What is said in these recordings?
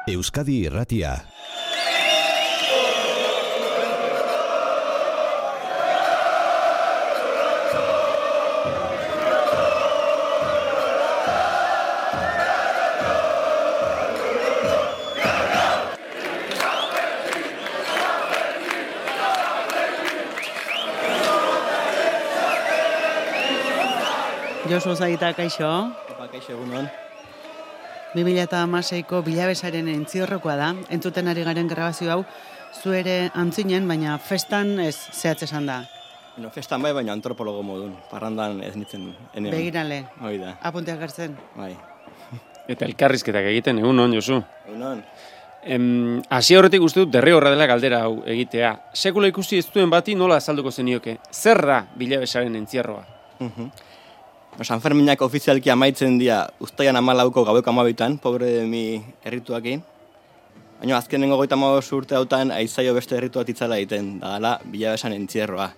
Euskadi Irratia. Josu Zaita, kaixo. Kaixo, egunon. 2016ko bilabesaren entziorrokoa da. Entzuten ari garen grabazio hau, zu ere antzinen, baina festan ez zehatz esan da. Bueno, festan bai, baina antropologo modun. Parrandan ez nintzen. Begirale. Hoi da. Apunteak hartzen. Bai. Eta elkarrizketak egiten, egunon, Josu. Egunon. Hasi horretik uste dut derrigorra dela galdera hau egitea. Sekula ikusi ez duen bati nola azalduko zenioke? Zer da bilabesaren entzierroa? San Ferminak ofizialki amaitzen dira uztaian 14ko gaueko 12 pobre de mi errituakin. Baina azkenengo 35 urte hautan aizaio beste errituat itzala egiten, da dela bilabesan entzierroa.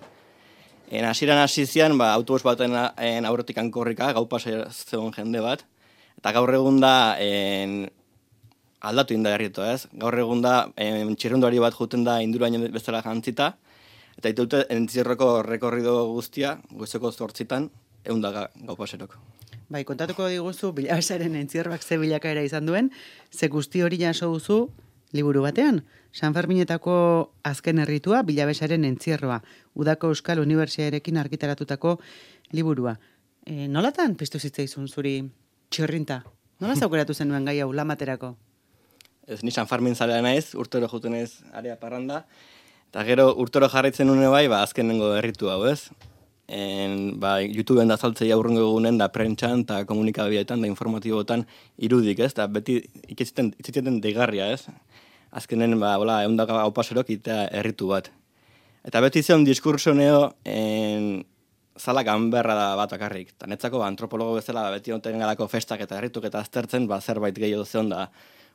Hasieran hasi zian, autobus baten aurretik korrika, gau pasa zegoen jende bat, eta gaur egun da aldatu inda erritua, ez? Gaur egun da txirrunduari bat juten da induraino bezala jantzita, eta ditute entzierroko rekorrido guztia, goizeko 8 gau paserok. Bai, kontatuko diguzu bilabesaren entzierroak ze bilakaera izan duen, ze guzti hori jaso duzu liburu batean. San Ferminetako azken erritua bilabesaren entzierroa, Udako Euskal Unibertsitatearekin argitaratutako liburua. Nolatan piztu zitzaizun zuri txirrinta? Nola zaukeratu zenuen gai hau lamaterako? Ez, ni San Fermin zalea naiz, urtero juten ez area parranda, eta gero urtero jarraitzen une bai, azkenengo erritu hau, ez? YouTubeen da saltzei aurrengo egunen da prentxan eta komunikabideetan da informatiboetan irudik, ez? Eta beti ikitziten deigarria, ez? Azkenen, hola, 100 gau paserok itea erritu bat. Eta beti zion diskurso neo zala ganberra da bat akarrik. Eta netzako antropologo bezala beti onten galako festak eta errituk eta aztertzen, zerbait gehiago zion da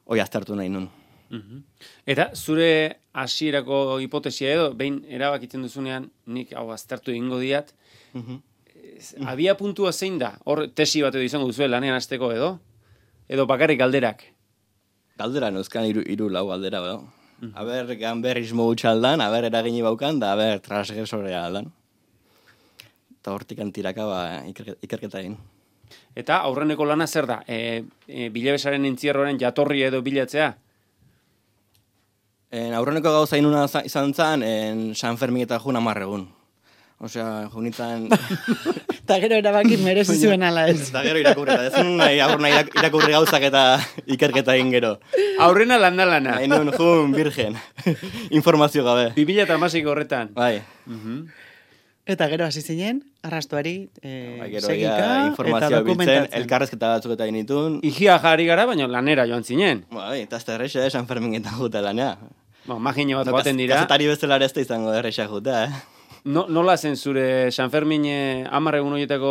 hoi aztertu nahi nun. Eta zure hasierako hipotesia edo, behin erabakitzen duzunean, nik hau aztertu egingo diat, abia puntua zein da? Hor tesi bat edo izango duzu lanean hasteko edo? Edo bakarrik galderak? Galdera neuzkan iru lau galdera, edo. Aber ganberrismo gutxaldan, aber eragini baukan, da aber transgresorea aldan. Eta hortik antiraka ikerketa egin. Eta aurreneko lana zer da? Bilabesaren entzierroaren jatorri edo bilatzea? Aurreneko gauza inuna izan zen, San Fermin eta jun 10 egun. Osea, junitzen... Eta gero erabaki merezi zuen ala ez. Eta gero irakurri, eta ez nahi irakurri gauzak eta ikerketa egin gero. Aurrena lana. Nahi nun jun virgen, informazio gabe. 2016 horretan. Bai. Eta gero hasi zinen, arrastuari, segika, eta dokumentatzen. Elkarrezketa batzuk eta initun. Igia jari gara, baina lanera joan zinen. Bai, eta ez da erreixa, San Fermin eta juta lanea. Magine bat joaten dira. Kazetari bezala ez da izango erreixa juta, Nola zen zure San Fermin 10 egun horietako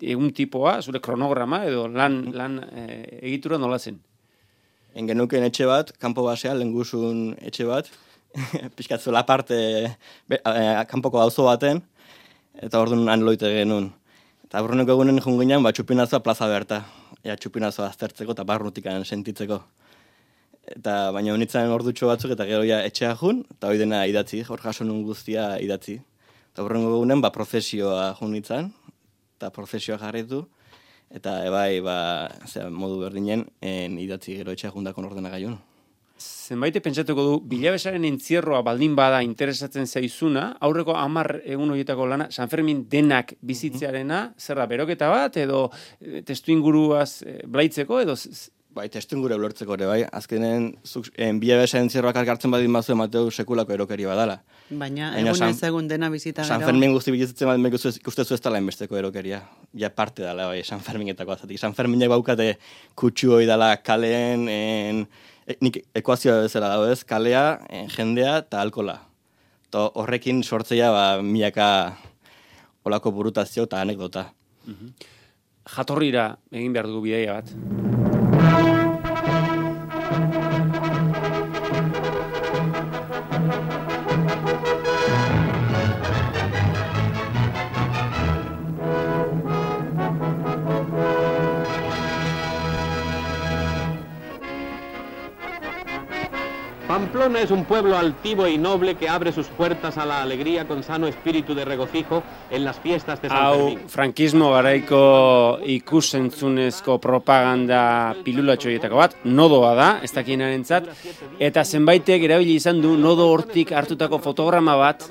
egun tipoa, zure kronograma, edo lan egitura nola zen? Genuken etxe bat, kanpo basea, lenguzun etxe bat, pixkatzuela parte kanpoko auzo baten, eta orduan han loite genuen. Eta aurreneko egunen junginan, txupinazoa plaza berta. Txupinazoa aztertzeko eta barrutikan sentitzeko. Eta baina honitzen ordutxo batzuk eta gero etxea jun, eta hori dena idatzi, hor jaso nun guztia idatzi. Eta aurreneko egunen, prozesioa jun nintzen, eta prozesioa jarritu, eta ebai, modu berdinen, idatzi gero etxea jundakon ordenagaiun. Zenbaite pentsatuko du, bilabesaren entzierroa baldin bada interesatzen zaizuna, aurreko 10 egun horietako lana, San Fermin denak bizitzearena, zer da, beroketa bat, edo testu inguruaz blaitzeko, edo... Bai, testu inguru ulertzeko ere, bai. Azkenen, bilabesaren entzierroak alkartzen badin bazu emateu sekulako erokeria badala. Baina egun dena bizita gero... San Fermin guzti bizitzen badin ikustezu ez dala enbesteko erokeria. Ja parte dala, bai, San Ferminetako azatik. San Ferminek baukate kutsu hoi dala kaleen... Nik ekuazioa bezala dago ez, kalea, jendea eta alkola. Horrekin sortzea milaka olako burutazio eta anekdota. Jatorrira egin behar dugu bidaia bat. Pamplona es un pueblo altivo y noble que abre sus puertas a la alegría con sano espíritu de regocijo en las fiestas de San Fermín. Frankismo garaiko ikusentzunezko propaganda pilulatxoietako bat, nodoa da, ez dakienarentzat, eta zenbaitek erabili izan du nodo hortik hartutako fotograma bat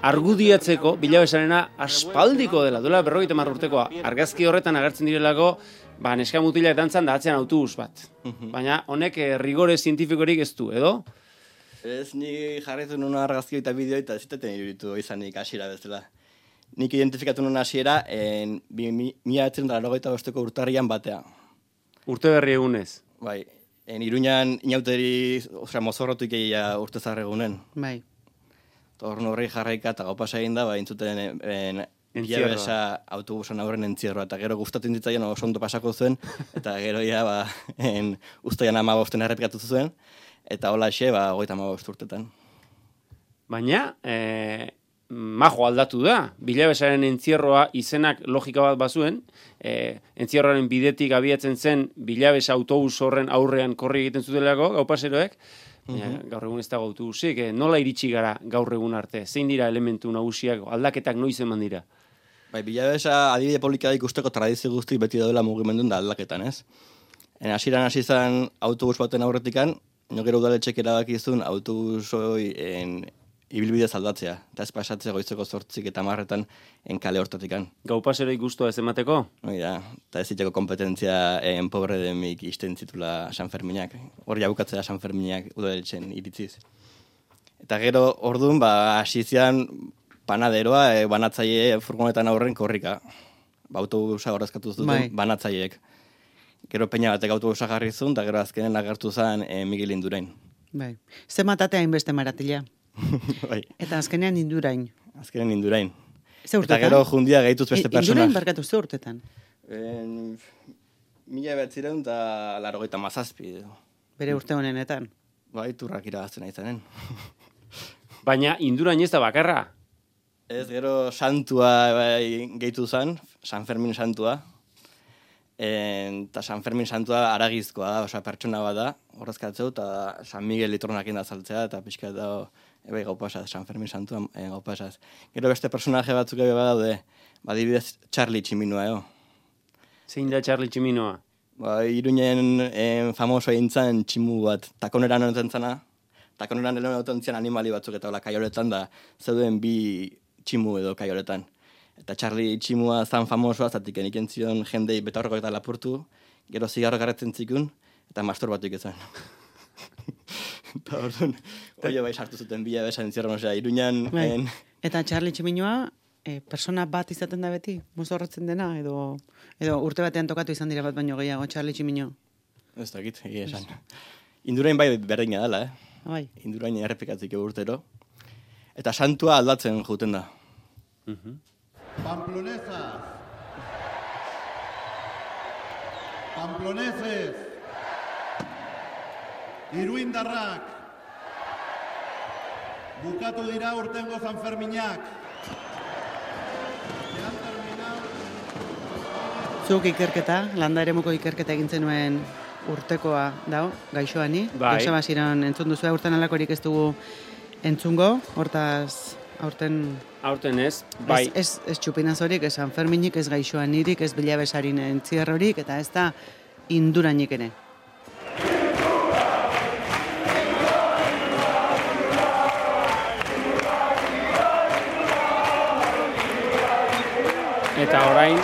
argudiatzeko bilabesarena aspaldiko dela, duela 50 urtekoa. Argazki horretan agertzen direlako neska mutilak dantzan da atzean autobus bat. Baina honek rigore zientifikorik ez du, edo? Ez, ni jarretu nuen argazki eta bideo eta ez ziteten iruditu izanik hasiera bezala. Nik identifikatu nuen hasiera 1985ko urtarrian batea. Urte berri egunez. Bai, Iruñan inauteri, mozorrotu ikeia urte zarregunen. Bai. Torno horri jarraika eta gaupasa egin da, intzuten Bilabesa autobusan aurren entzierroa, eta gero gustatzen ditzaien oso ondo pasako zuen, eta gero ustaian 15 errepikatu zuen, eta hola xe, 35 urtetan. Baina, majo aldatu da, bilabesaren entzierroa izenak logika bat bazuen, entzierroaren bidetik abiatzen zen bilabesa autobus horren aurrean korri egiten zutelako, gaupaseroek, gaur egun ez dago autobusik, nola iritsi gara gaur egun arte? Zein dira elementu nagusiak, aldaketak noiz eman dira? Bai, bilabesa adibide polika ikusteko tradizio guztik beti daudela mugimendun da aldaketan, ez? Hasieran hasi zen autobus baten aurretikan, gero udaletxek erabakizun autobusoi ibilbidez aldatzea, eta ez pasatzea goizeko 8 eta 10 kale hortatikan. Gau paseroi guztua ez emateko? Oida, eta ez diteko kompetentzia pobre demik izten zitula San Ferminak. Hori abukatzea San Ferminak udaletxen iritziz. Eta gero orduan, hasi zian panaderoa, banatzaile furgonetan aurren korrika. Autobusa horrezkatu zuten banatzaileek. Gero peina batek autobusa jarri zuen, eta gero azkenen agertu zen Miguel Indurain. Bai. Ze matatea hainbeste maratila. Bai. Eta azkenean Indurain. Azkenean Indurain. Ze urtetan? Eta gero jundia gehituz beste persona. Indurain barkatu ze urtetan? 1987. Bere urte honenetan. Bai, turrak iragazten aizanen. Baina Indurain ez da bakarra. Ez, gero santua gehitu zen, San Fermin santua. Eta San Fermin santua aragizkoa da, oza, pertsona bat da, horrezkatzeu, eta San Miguel litronak inda saltzea, eta pixka da, gaupasaz, San Fermin santua gaupasaz. Gero beste personaje batzuk ebe badaude, badibidez Charlie Tximinoa, Zein da Charlie Tximinoa? Iruñen famoso egin zen tximu bat, takoneran honetan zana, takoneran honetan zian animali batzuk eta hola kaioletan da, zeuden bi tximu edo kaioletan. Eta Charlie tximua zan famosoa, zatik eniken zion jendei betaurreko eta lapurtu, gero zigarro garretzen zikun, eta masturbatu ikezuen. Eta orduan, bai sartu zuten bila besan entzierron, Iruñan... Eta Charlie Tximinoa, persona bat izaten da beti, mozorrotzen dena, edo urte batean tokatu izan dira bat baino gehiago, Charlie Tximino? Ez dakit, egia esan. Indurain bai berdina dela, Bai. Indurain errepikatzik urtero. Eta santua aldatzen juten da. Pamploneses, Iruindarrak, bukatu dira urtengo San Ferminak. Zuk ikerketa, landa eremuko ikerketa egin zenuen urtekoa dao, gaixoani. Bai. Joseba Ziron entzun duzu, aurten alakorik ez dugu entzungo, hortaz aurten ez, bai. Ez txupinazorik, ez San Ferminik, ez gaixoanirik, ez bilabesarin entzierrorik, eta ez da Indurainik ere. Eta orain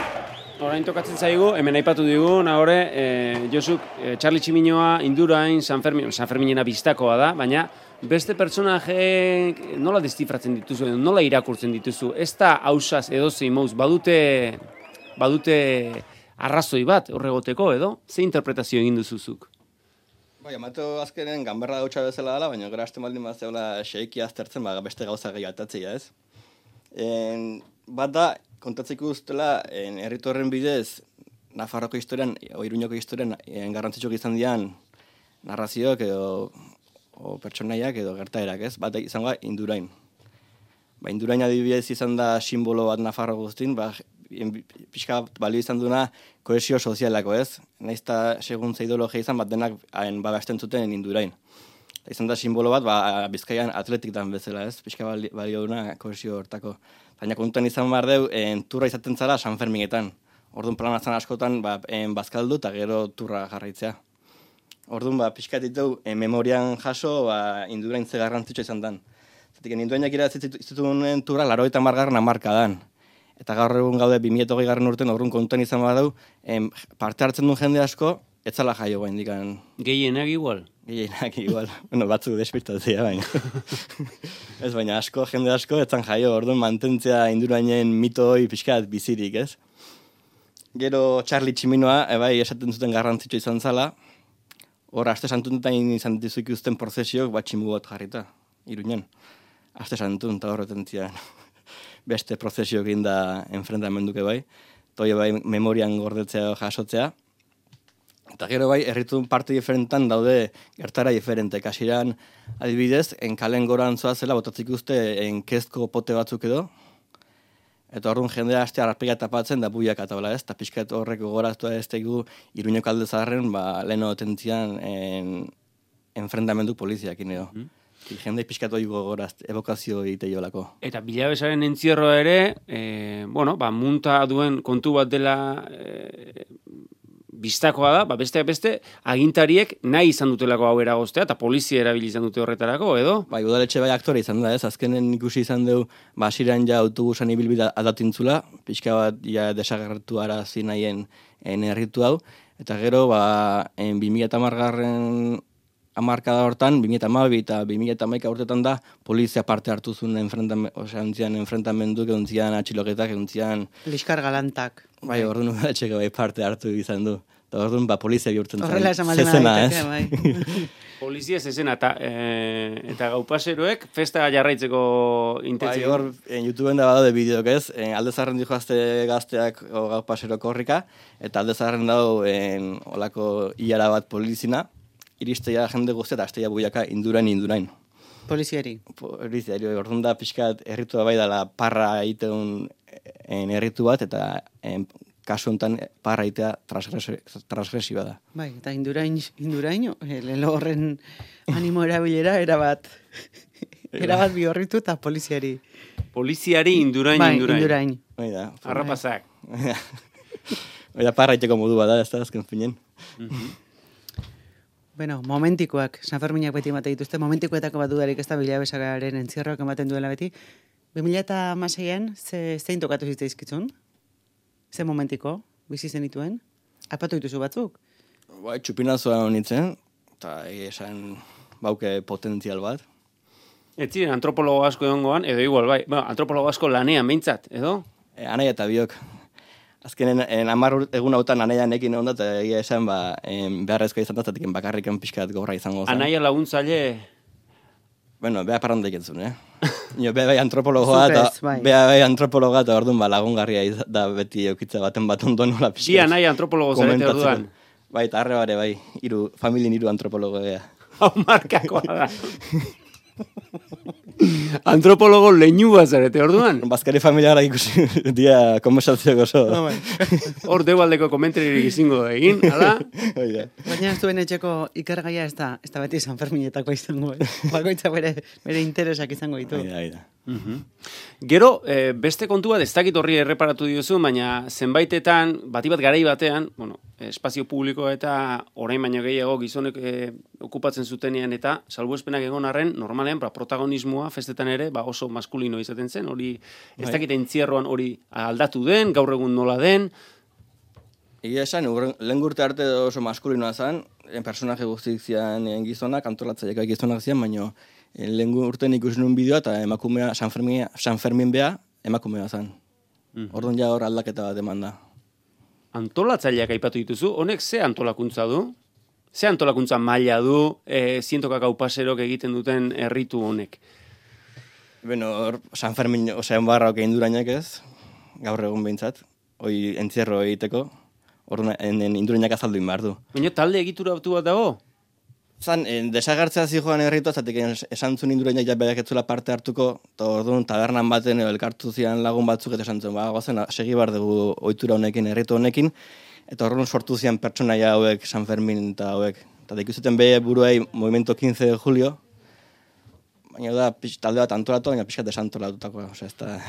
tokatzen zaigu, hemen aipatu digu, nahore, Josuk, Charlie Tximinoa, Indurain, San Ferminena biztakoa da, baina beste personaje nola destifratzen dituzu, nola irakurtzen dituzu, ez da hausaz edozein mauz, badute arrazoi bat horregoteko edo, ze interpretazio egin duzuzuk? Bai, amato azkenen ganberra dautxa bezala dela, baina gara hasten baldin bat zegoela xeiki aztertzen, beste gauza gehi atatzea ez. Bat da, kontatzeko ustela, herritu horren bidez, Nafarroko historian, Iruñoko historian, garrantzitsuk izan dian narrazioak edo pertsonaiak edo gertaerak, ez? Bat izango Indurain. Indurain adibidez izan da simbolo bat Nafarro guztin, pixka bat balio izan duna kohesio sozialako, ez? Naizta segun ze ideologia izan bat denak babesten zuten Indurain. Izan da simbolo bat, Bizkaian atletik dan bezala, ez? Pixka balio duna kohesio hortako. Baina kontuan izan behar deu, turra izaten zara San Ferminetan. Orduan planatzen askotan bazkaldu eta gero turra jarraitzea. Orduan pixka ditu memorian jaso Indurain ze garrantzitsua izan dan. Zatik, Indurainak irazitzituen turra 80. hamarkadan. Eta gaur egun gaude 2020 urten orduan kontuan izan badau, parte hartzen duen jende asko, etzala jaio bain dikan. Gehienak igual? Gehienak igual. Bueno, batzuk despistatzea baina. Ez baina jende asko, etzan jaio, orduan mantentzea Indurainen mitoi pixkat bizirik, ez? Gero Charlie Tximinoa, esaten zuten garrantzitsua izan zala, hor, aste santunetan izan dizuik uzten prozesiok bat tximu bat jarrita, Iruñan. Aste santun, eta horretan zian. Beste prozesio egin da enfrentamenduke toi memorian gordetzea jasotzea. Eta gero herritu parte diferentan daude gertara diferente. Kasiran, adibidez, kalen goran zoazela botatzik uste kezko pote batzuk edo. Eta horren jendea aste arpega tapatzen da buiak atabla ez. Eta pixkat horrek gogoraztua ez tegu Iruñeko alde zaharren, leheno otentzian enfrentamendu poliziakin edo. Jende pixkatu gogoraz, evokazio egiteiolako. Eta Bilabesaren entzierroa ere, munta duen kontu bat dela biztakoa da, besteak beste, agintariek nahi izan dutelako hau eragoztea, eta polizia erabili izan dute horretarako, edo? Udaletxe aktore izan da, ez? Azkenen ikusi izan du, hasiran autobusan ibilbida adatintzula, pixka bat desagertu arazi nahien herritu hau, eta gero, 2010 hamarkada hortan, 2012 eta 2011 urtetan da, polizia parte hartu zuen enfrentamendu, eguntzian atxiloketak, eguntzian... Liskar galantak. Orduan udaletxeko parte hartu izan du. Eta orduan polizia bihurtzen horrela esan maldena ez? Polizia zezena, eta gaupaseroek festa jarraitzeko intentzio. Hor, YouTubeen da badaude bideok ez, alde zaharren dijo gazteak gaupasero korrika, eta alde zaharren dago olako hilara bat polizina, iristea jende guztia eta astea buiaka Indurain. Poliziari? Poliziari, orduan da pixkat herritua bai dela parra egiteun herritu bat, eta kasu honetan parra egitea transgresiba da. Bai, eta Indurain, lelo horren animo erabilera, erabat bihorritu eta poliziari. Poliziari Indurain. Indurain. Arrapazak. Parra egiteko modu bat da, ez da, azken finen. Bueno, momentikoak, San Ferminak beti emate dituzte, momentikoetako bat dudarik ez da Bilabesaren entzierroak ematen duela beti. 2016an, zein tokatu zitzaizkitzun? Ze momentiko, bizi zenituen? Aipatu dituzu batzuk? Txupinazoa honitzen, eta esan bauke potentzial bat. Ez ziren antropologo asko egongoan, edo igual, bai. Antropologo asko lanean behintzat, edo? Anai eta biok. Azkenen, 10 egun hautan anaia nekin egon da, eta egia esan, beharrezko izan da, zatik bakarrikan pixkat gorra izango zen. Anaia laguntzaile? Bueno, beha parranda ikentzun, Beha bai antropologoa, eta orduan lagungarria da beti eukitza baten bat ondo nola pixkat. Bi anaia antropologo zarete orduan? Bai, eta arre bare, familien 3 antropologo ea. Hau markakoa da. Antropologo leinua zarete orduan? Bazkari familiara ikusi dia konversazioak oso. Hor deualdeko komentaririk izango egin, ala? Baina zuen etxeko ikergaia ez da beti San Ferminetako izango. Bakoitza bere interesak izango ditu. Gero, beste kontu bat, ez dakit horri erreparatu diozu, baina zenbaitetan, bat garai batean, espazio publiko eta orain baino gehiago gizonek okupatzen zutenean eta salbuespenak egon arren, normalean protagonismoa festetan ere oso maskulino izaten zen, hori ez dakit entzierroan hori aldatu den, gaur egun nola den. Egia esan, lehen urte arte oso maskulinoa zen, personaje guztik zian gizonak, antolatzaileak gizonak zian, baina lehen urtean ikusi nuen bideoa eta emakumea San Fermin beha emakumea zen. Orduan ja hor aldaketa bat eman da. Antolatzaileak aipatu dituzu, honek ze antolakuntza du? Ze antolakuntza maila du zientoka gaupaserok egiten duten herritu honek? Hor San Fermin, barraok Indurainak ez, gaur egun behintzat, hoi entzierro egiteko, orduan Indurainak azaldu inbar du. Baina talde egitura bat dago? Zan, desagertzea zijoan erritu, zatik esan zuen indurainak ja berak etzula parte hartuko, eta orduan tabernan baten elkartu zian lagun batzuk, eta esan zuen, gozen, segi bar dugu ohitura honekin, erritu honekin, eta orduan sortu zian pertsonaia hauek, San Fermin eta hauek. Eta ikuzuten behe buruei Movimiento 15 de Julio, baina da, talde bat antolatu, baina pixkat desantolatutakoa, ez da,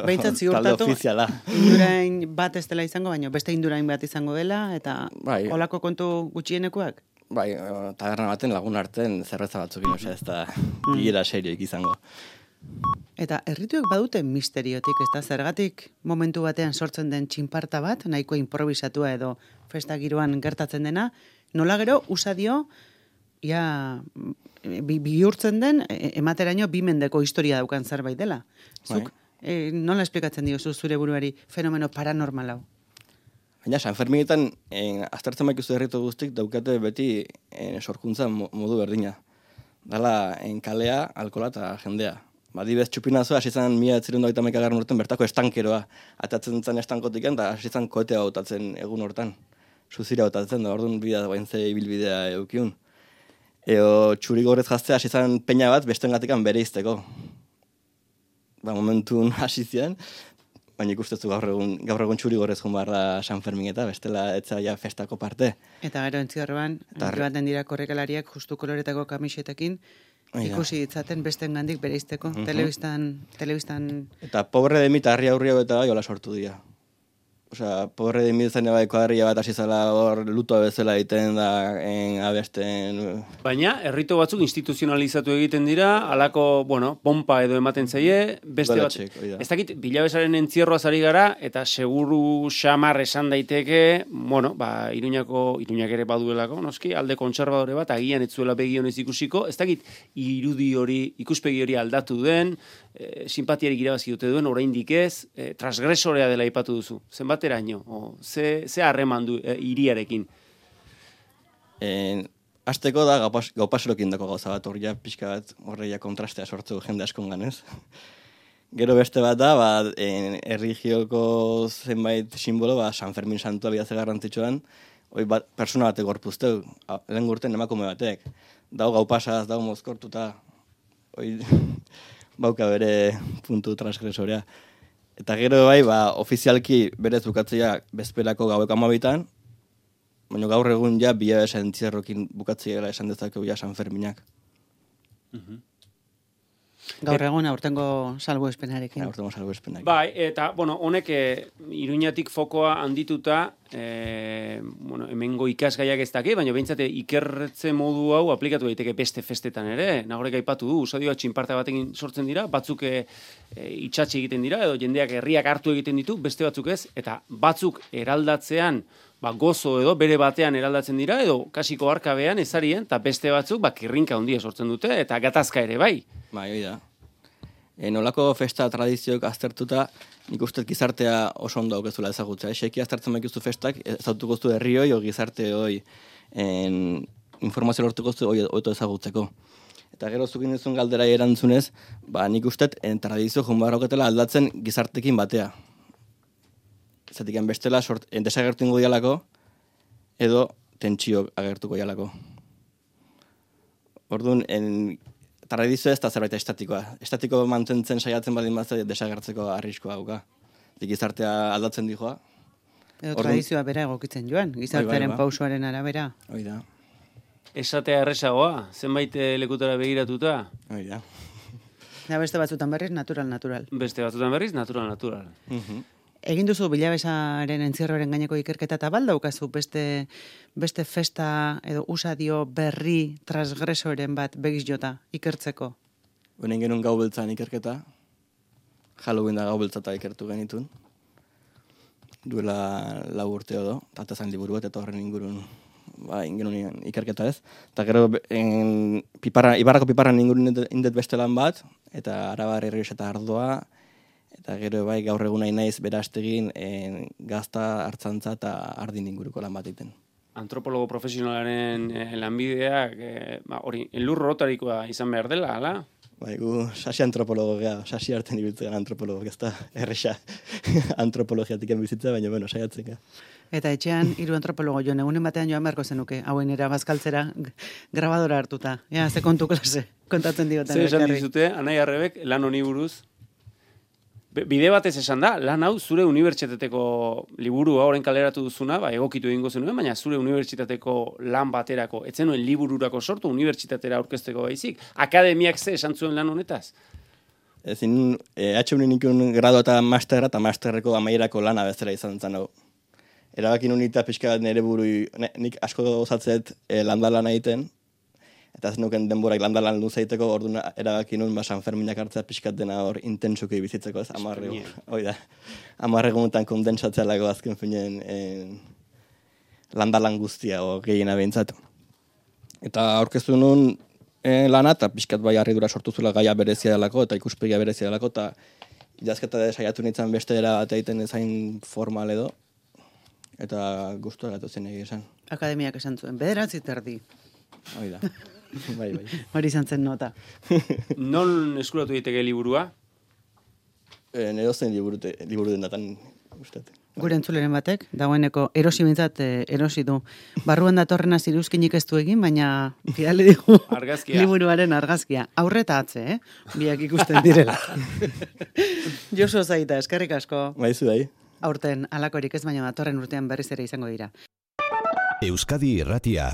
Behintzat talde ziurtatu, ofiziala. indurain bat ez dela izango, baina beste indurain bat izango dela, eta Bai. holako kontu gutxienekoak? Bai, taberna baten lagun arten zerreza batzukin, ez da, bilera serioik izango. Eta errituek badute misteriotik, ez da, zergatik momentu batean sortzen den txinparta bat, nahiko improvisatua edo festa giroan gertatzen dena, nola gero usadio, ja, bihurtzen den, emateraino bi mendeko historia daukan zerbait dela. Zuk, nola esplikatzen diozu zure buruari fenomeno paranormal hau? Baina, San Ferminetan, aztertzen baikuzu herritu guztik, daukate beti sorkuntza modu berdina. Dala, kalea, alkola eta jendea. Badibez txupinazoa, hasi zan 1921 urten bertako estankeroa. Atatzen zen estankotik eta hasi zan koetea hautatzen egun hortan. Suzira hautatzen da, orduan bidea bain ze ibilbidea eukiun. Eo txurigorrez jaztea hasi zan peina bat bestengatikan bere izteko. Momentun hasi zian, baina ikustezu gaur egun txurigorrez jun behar da San Fermin eta bestela etza ja festako parte. Eta gero entzierroan, baten dira korrekalariak justu koloretako kamisetekin, ikusi ditzaten besten gandik bere izteko, telebistan... Eta pobre de mi eta harri aurri hau eta bai hola sortu dira. Osea, pobre de mi zen bai kuadrilla bat hasi zela hor luto bezala egiten da abesten... Baina, herrito batzuk instituzionalizatu egiten dira, halako, pompa edo ematen zaie, beste bat... Ez dakit, bilabesaren entzierroaz ari gara, eta seguru xamar esan daiteke, Iruñak ere baduelako, noski, alde kontserbadore bat, agian etzuela begionez ikusiko, ez dakit, ikuspegi hori aldatu den, simpatiarik irabazi dute duen, oraindik ez, transgresorea dela aipatu duzu. Zenbateraino, ze harreman du hiriarekin? Azteko da gaupaserokin dako gauza bat, horria pixka bat, horreia kontrastea sortzu jende askongan, ez? Gero beste bat da, erligioko zenbait simbolo, San Fermin santua bidaz garrantzitsuan, persona batek gorpuzteu, lehen gurten emakume batek. Dau gaupasaz, dau mozkortuta, bauka bere puntu transgresorea. Eta gero ofizialki berez bukatzea bezperako gaueko 12, baina gaur egun ja bilabesa entzierrokin bukatzea esan dezakegu ja San Ferminak. Gaur egun aurtengo salbuespenarekin. Bai, eta, honek Iruñatik fokoa handituta, hemengo ikasgaiak ez daki, baina behintzate ikerretze modu hau aplikatu daiteke beste festetan ere. Nagorek aipatu du, usadioa txinparta batekin sortzen dira, batzuk itxatxe egiten dira, edo jendeak herriak hartu egiten ditu, beste batzuk ez, eta batzuk eraldatzean, gozo edo bere batean eraldatzen dira, edo kasiko arkabean ezarien, eta beste batzuk kirrinka handia sortzen dute, eta gatazka ere bai. Bai, hori da. Nolako festa tradizioak aztertuta, nik uste gizartea oso ondo aukezula ezagutzea. Seki aztertzen baikuztu festak, ezautuko zu herrioi, o gizarte hoi, informazio lortuko zu oito ezagutzeko. Eta gero zukin duzun galderai erantzunez, nik uste tradizio junbar auketela aldatzen gizartekin batea. Zatik bestela desagertu ingo dialako, edo tentsio agertuko dialako. Orduan, tradizio ez da zerbait estatikoa. Estatiko mantentzen saiatzen badin bat desagertzeko arriskoa dauka. Gizartea aldatzen dijoa. Edo tradizioa bera egokitzen joan, gizartearen pausoaren arabera. Hoi da. Esatea erresagoa, zenbait lekutara begiratuta. Hoi da. Beste batzutan berriz, natural. Beste batzutan berriz, natural. Egin duzu bilabesaren entzierroaren gaineko ikerketa eta baldaukazu beste festa edo usadio berri transgresoren bat begiz jota ikertzeko? Honen genuen gau beltzan ikerketa, Halloween da gau beltzata ikertu genitun. Duela 4 urte edo, eta zan liburu bat eta horren ingurun genuen ikerketa ez. Eta gero Ibarrako piparran ingurun indet beste lan bat, eta Arabar Herriox eta Ardoa, eta gero gaur egun nahi naiz berastegin gazta, hartzantza eta ardin inguruko lan bat egiten. Antropologo profesionalaren lanbideak, hori, elur rotarikoa izan behar dela, ala? Bai, gu sasi antropologo gea, sasi arten ibiltzen antropologo, ez da erresa antropologiatik bizitza, baina, bueno, saiatzen gea. Eta etxean, 3 antropologo joan, egunen batean joan beharko zenuke, hauen bazkaltzera grabadora hartuta. Ja, ze kontu klase, kontatzen diotan. Zer esan dizute, Anai Arrebek, lan honi buruz? Bide batez esan da, lan hau zure unibertsitateko liburua orain kaleratu duzuna, egokitu egingo zenuen, baina zure unibertsitateko lan baterako, etzenuen libururako sortu, unibertsitatera aurkezteko baizik. Akademiak ze esan zuen lan honetaz? Ezin, HUN nikun grado eta masterra, eta masterreko amaierako lana bezala izan zen hau. Erabakin unita pixka bat nire burui, nik asko gozatzet landalan egiten, eta ez nuken denborak landalan luzeiteko, orduan erabakin nun San Ferminak hartzea pixkat dena hor intentsuki bizitzeko, ez, 10 egunetan kondensatzealako azken finen landalan guztia, o gehiena behintzat. Eta aurkeztu nun lana, eta pixkat bai harridura sortu zula gaia berezia delako, eta ikuspegia berezia delako, eta idazketa saiatu nintzen beste era bat egiten ezain formal edo, eta gustua gatu zen egia esan. Akademiak esan zuen, 9 terdi. Hoi da, bai. Hori izan zen nota. Non eskuratu daiteke liburua? Nero zen liburu den datan, ustet. Gure entzuleren batek, dagoeneko erosi bintzat erosi du. Barruan datorrena ziruzkinik ez du egin, baina bidali digu Argazkia. liburuaren argazkia. Aurreta atze, biak ikusten direla. Josu Zaita, eskerrik asko. Baizu bai. Aurten alakorik ez, baina datorren urtean berriz ere izango dira. Euskadi Irratia.